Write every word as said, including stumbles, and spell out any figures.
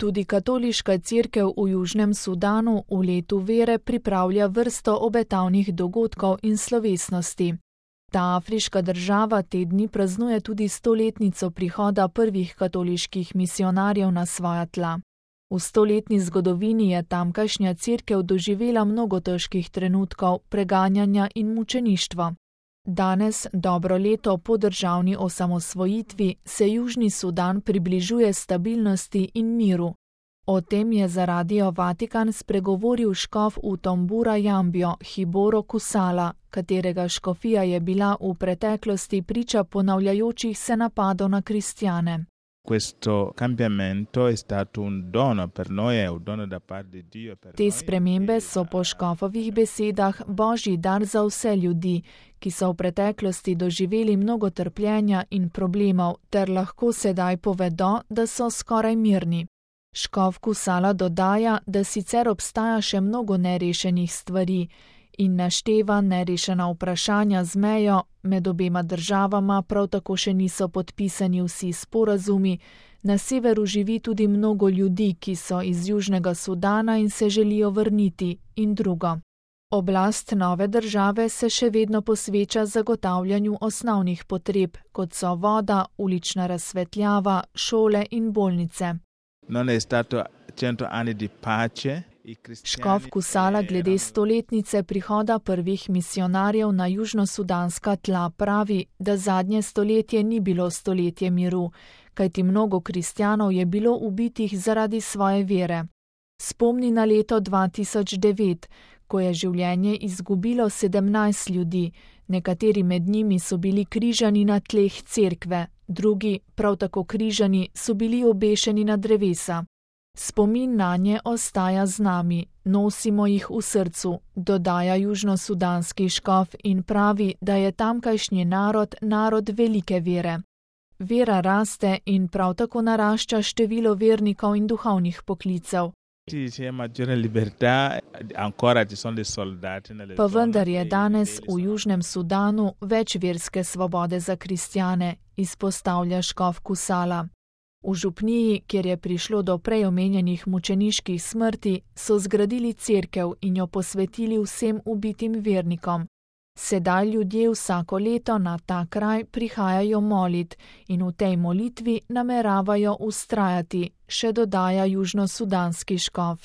Tudi katoliška cerkev v Južnem Sudanu v letu vere pripravlja vrsto obetavnih dogodkov in slovesnosti. Ta afriška država te dni praznuje tudi stoletnico prihoda prvih katoliških misionarjev na svoja tla. V stoletni zgodovini je tamkajšnja cerkev doživela mnogo težkih trenutkov preganjanja in mučeništva. Danes, dobro leto po državni osamosvojitvi, se Južni Sudan približuje stabilnosti in miru. O tem je za Radio Vatikan spregovoril škof v Tombura Jambio Hiboro Kusala, katerega škofija je bila v preteklosti priča ponavljajočih se napadov na kristjane. Te spremembe so po škofovih besedah božji dar za vse ljudi, ki so v preteklosti doživeli mnogo trpljenja in problemov, ter lahko sedaj povedo, da so skoraj mirni. Škof Kusala dodaja, da sicer obstaja še mnogo nerešenih stvari in našteva nerešena vprašanja z mejo, med obema državama prav tako še niso podpisani vsi sporazumi, na severu živi tudi mnogo ljudi, ki so iz Južnega Sudana in se želijo vrniti, in drugo. Oblast nove države se še vedno posveča zagotavljanju osnovnih potreb, kot so voda, ulična razsvetljava, šole in bolnice. Škof Kusala glede stoletnice prihoda prvih misionarjev na južnosudanska tla pravi, da zadnje stoletje ni bilo stoletje miru, kajti mnogo kristjanov je bilo ubitih zaradi svoje vere. Spomni na leto dva tisoč devet, ko je življenje izgubilo sedemnajst ljudi, nekateri med njimi so bili križani na tleh cerkve, drugi, prav tako križani, so bili obešeni na drevesa. Spomin nanje ostaja z nami, nosimo jih v srcu, dodaja južnosudanski škof in pravi, da je tamkajšnji narod narod velike vere. Vera raste in prav tako narašča število vernikov in duhovnih poklicev. Pa vendar je danes v Južnem Sudanu več verske svobode za kristjane, izpostavlja škof Kusala. V župniji, kjer je prišlo do prej omenjenih mučeniških smrti, so zgradili cerkev in jo posvetili vsem ubitim vernikom. Sedaj ljudje vsako leto na ta kraj prihajajo molit in v tej molitvi nameravajo vztrajati, še dodaja južnosudanski škof.